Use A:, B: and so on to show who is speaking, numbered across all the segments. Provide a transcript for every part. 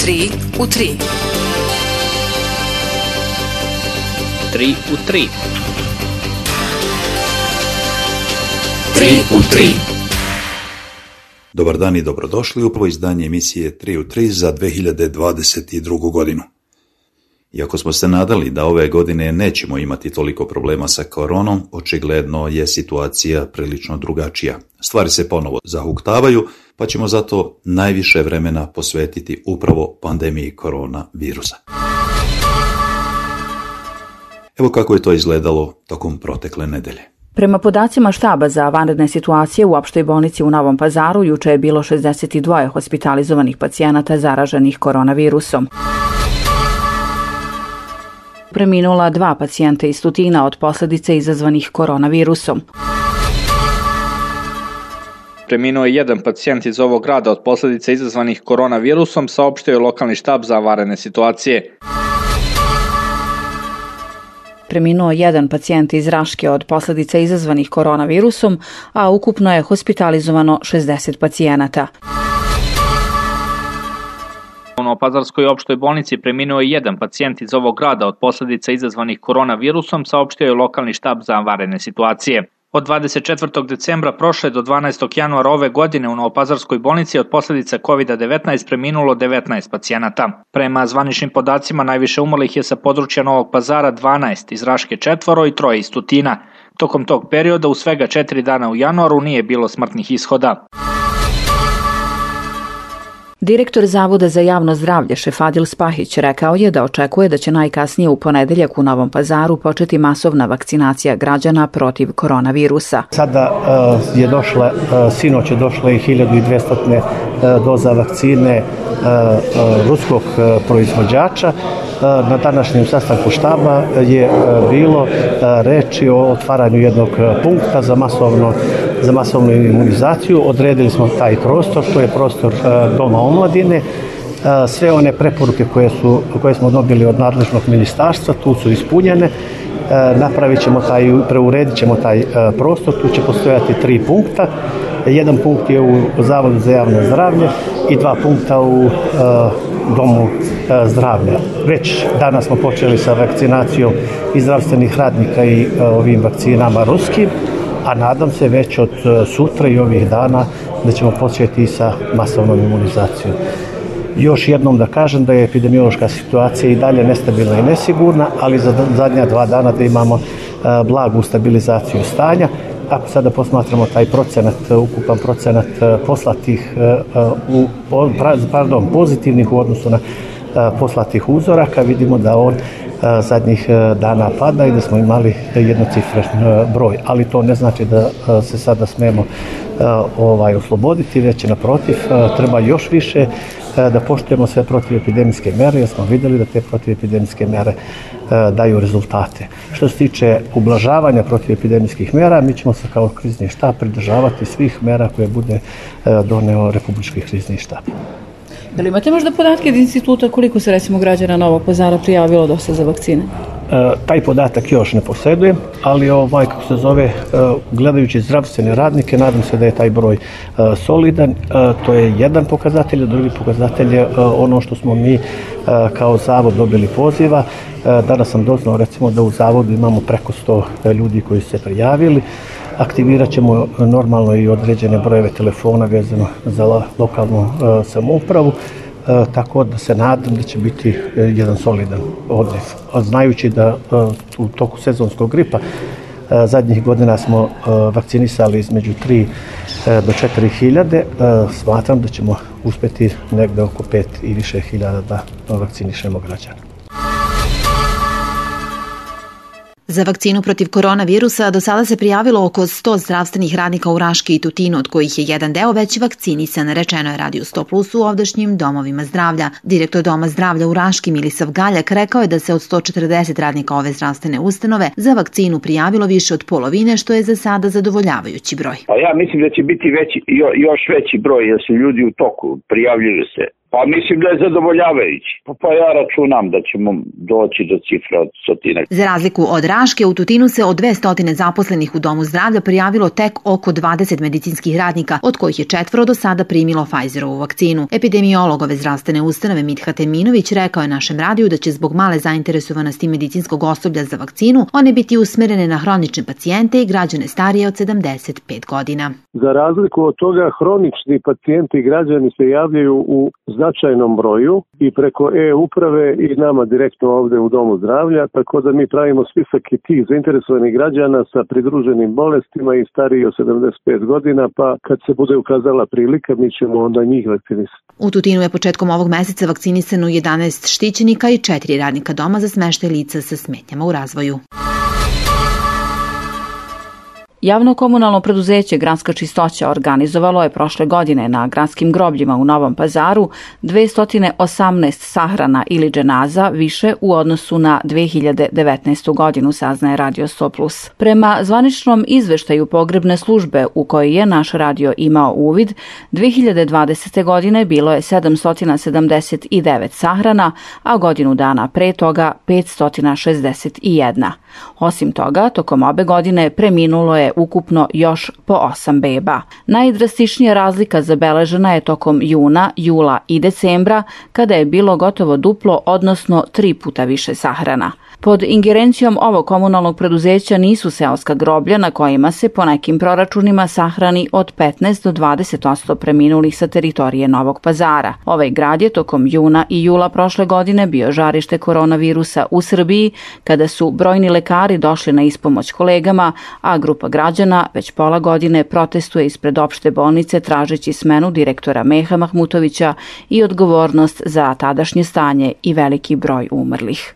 A: 3 u 3.
B: 3 u 3.
A: 3 u 3.
C: Dobar dan i dobrodošli u prvo izdanje emisije 3 u 3 za 2022. godinu. Iako smo se nadali da ove godine nećemo imati toliko problema sa koronom, očigledno je situacija prilično drugačija. Stvari se ponovo zahuktavaju, pa ćemo zato najviše vremena posvetiti upravo pandemiji koronavirusa. Evo kako je to izgledalo tokom protekle nedelje.
D: Prema podacima štaba za vanredne situacije u opštoj bolnici u Novom Pazaru, juče je bilo 62 hospitalizovanih pacijenata zaraženih koronavirusom. Preminula 2 pacijenta iz Tutina od posljedica izazvanih koronavirusom.
B: Preminuo je jedan pacijent iz ovog grada od posljedica izazvanih koronavirusom, saopštio je lokalni štab za vanredne situacije.
D: Preminuo jedan pacijent iz Raške od posljedica izazvanih koronavirusom, a ukupno je hospitalizovano 60 pacijenata.
B: U Novopazarskoj opštoj bolnici preminuo je jedan pacijent iz ovog grada od posljedica izazvanih koronavirusom, saopštio je lokalni štab za vanredne situacije. Od 24. decembra prošle do 12. januara ove godine u Novopazarskoj bolnici od posljedica COVID-19 preminulo 19 pacijenata. Prema zvaničnim podacima najviše umrlih je sa područja Novog Pazara 12, iz Raške 4 i 3 iz Tutina. Tokom tog perioda u svega 4 dana u januaru nije bilo smrtnih ishoda.
D: Direktor Zavoda za javno zdravlje Šefadil Spahić rekao je da očekuje da će najkasnije u ponedeljak u Novom Pazaru početi masovna vakcinacija građana protiv koronavirusa.
E: Sada je došla, sinoć je došla i 1200 doza vakcine ruskog proizvođača. Na današnjem sastanku štaba je bilo reči o otvaranju jednog punkta za masovnu imunizaciju. Odredili smo taj prostor, to je prostor Doma omladine. Sve one preporuke koje smo dobili od nadležnog ministarstva tu su ispunjene. Preuredit ćemo taj prostor, tu će postojati 3 punkta. Jedan punkt je u Zavodu za javno zdravlje i 2 punkta u Domu zdravlja. Već danas smo počeli sa vakcinacijom i zdravstvenih radnika i ovim vakcinama ruskim, a nadam se već od sutra i ovih dana da ćemo početi i sa masovnom imunizacijom. Još jednom da kažem da je epidemiološka situacija i dalje nestabilna i nesigurna, ali za zadnja 2 dana da imamo blagu stabilizaciju stanja. Ako sada posmatramo taj ukupan procenat pozitivnih u odnosu na poslatih uzoraka, vidimo da on zadnjih dana pada i da smo imali jednocifren broj. Ali to ne znači da se sada smemo osloboditi, već naprotiv, treba još više da poštujemo sve protivepidemijske mere, jer smo vidjeli da te protivepidemijske mere daju rezultate. Što se tiče ublažavanja protivepidemijskih mera, mi ćemo se kao krizni štab pridržavati svih mera koje bude doneo Republički krizni štab.
D: Da li imate možda podatke od instituta koliko se recimo građana Novog Pazara prijavilo do sada za vakcine?
E: Taj podatak još ne posjedujem, ali gledajući zdravstvene radnike, nadam se da je taj broj solidan. To je jedan pokazatelj, a drugi pokazatelj je ono što smo mi kao zavod dobili poziva. Danas sam doznao recimo da u zavodu imamo preko 100 ljudi koji su se prijavili. Aktivirat ćemo normalno i određene brojeve telefona vezano za lokalnu samoupravu, tako da se nadam da će biti jedan solidan odliv. Znajući da u toku sezonskog gripa zadnjih godina smo vakcinisali između 3 do 4 hiljade, smatram da ćemo uspjeti negde oko 5 i više hiljada da vakcinišemo građana.
F: Za vakcinu protiv koronavirusa do sada se prijavilo oko 100 zdravstvenih radnika u Raški i Tutinu, od kojih je jedan deo već vakcinisan, rečeno je Radiju 100+ u ovdašnjim domovima zdravlja. Direktor Doma zdravlja u Raški Milisav Galjak rekao je da se od 140 radnika ove zdravstvene ustanove za vakcinu prijavilo više od polovine, što je za sada zadovoljavajući broj.
G: Ja mislim da će biti još veći broj, jer su ljudi u toku, prijavljuju se. Pa mislim da je zadovoljavajući. Pa ja računam da ćemo doći do cifra od 100.
F: Za razliku od Raške, u Tutinu se od 200 zaposlenih u Domu zdravlja prijavilo tek oko 20 medicinskih radnika, od kojih je 4 do sada primilo Pfizerovu vakcinu. Epidemiolog ove zdravstvene ustanove Mithat Eminović rekao je našem radiju da će zbog male zainteresovanosti medicinskog osoblja za vakcinu one biti usmerene na hronične pacijente i građane starije od 75 godina.
H: Za razliku od toga, hronični pacijenti i građani se javljaju u značajnom broju i preko e-uprave i nama direktno ovde u Domu zdravlja, tako da mi pravimo spisak i tih zainteresovanih građana sa pridruženim bolestima i stariji od 75 godina, pa kad se bude ukazala prilika, mi ćemo onda njih vakcinisati.
F: U Tutinu je početkom ovog meseca vakcinisano 11 štićenika i 4 radnika doma za smeštaj lica sa smetnjama u razvoju.
D: Javno komunalno preduzeće Gradska čistoća organizovalo je prošle godine na gradskim grobljima u Novom Pazaru 218 sahrana ili dženaza više u odnosu na 2019. godinu, saznaje Radio 100+. Prema zvaničnom izveštaju pogrebne službe u kojoj je naš radio imao uvid, 2020. godine bilo je 779 sahrana, a godinu dana pre toga 561. Osim toga, tokom obe godine preminulo je ukupno još po 8 beba. Najdrastičnija razlika zabeležena je tokom juna, jula i decembra, kada je bilo gotovo duplo, odnosno 3 puta više sahrana. Pod ingerencijom ovog komunalnog preduzeća nisu seoska groblja na kojima se po nekim proračunima sahrani od 15 do 20% preminulih sa teritorije Novog Pazara. Ovaj grad je tokom juna i jula prošle godine bio žarište koronavirusa u Srbiji, kada su brojni lekari došli na ispomoć kolegama, a grupa građana već pola godine protestuje ispred opšte bolnice tražeći smenu direktora Meha Mahmutovića i odgovornost za tadašnje stanje i veliki broj umrlih.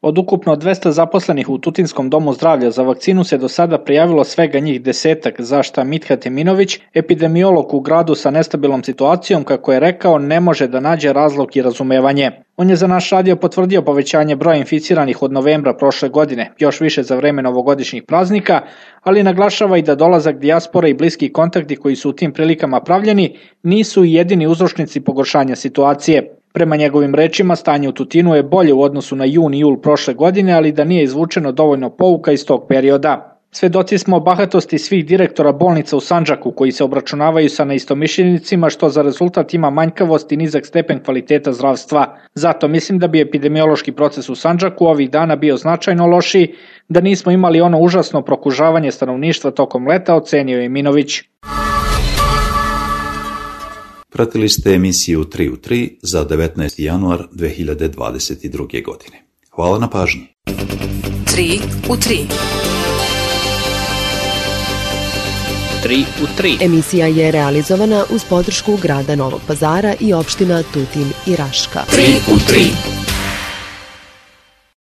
B: Od ukupno 200 zaposlenih u Tutinskom domu zdravlja za vakcinu se do sada prijavilo svega njih 10, za šta Mithat Eminović, epidemiolog u gradu sa nestabilnom situacijom, kako je rekao, ne može da nađe razlog i razumevanje. On je za naš radio potvrdio povećanje broja inficiranih od novembra prošle godine, još više za vreme novogodišnjih praznika, ali naglašava i da dolazak dijaspore i bliski kontakti koji su u tim prilikama pravljeni nisu jedini uzročnici pogoršanja situacije. Prema njegovim rečima, stanje u Tutinu je bolje u odnosu na jun i jul prošle godine, ali da nije izvučeno dovoljno pouka iz tog perioda. Svedoci smo bahatosti svih direktora bolnica u Sandžaku koji se obračunavaju sa neistomišljenicima, što za rezultat ima manjkavost i nizak stepen kvaliteta zdravstva. Zato mislim da bi epidemiološki proces u Sandžaku ovih dana bio značajno lošiji, da nismo imali ono užasno prokužavanje stanovništva tokom leta, ocenio je Eminović.
C: Pratili ste emisiju 3 u 3 za 19. januar 2022. godine. Hvala na pažnji.
A: 3 u 3.
B: 3 u 3.
I: Emisija je realizovana uz podršku grada Novog Pazara i opština Tutin i Raška.
A: 3 u 3.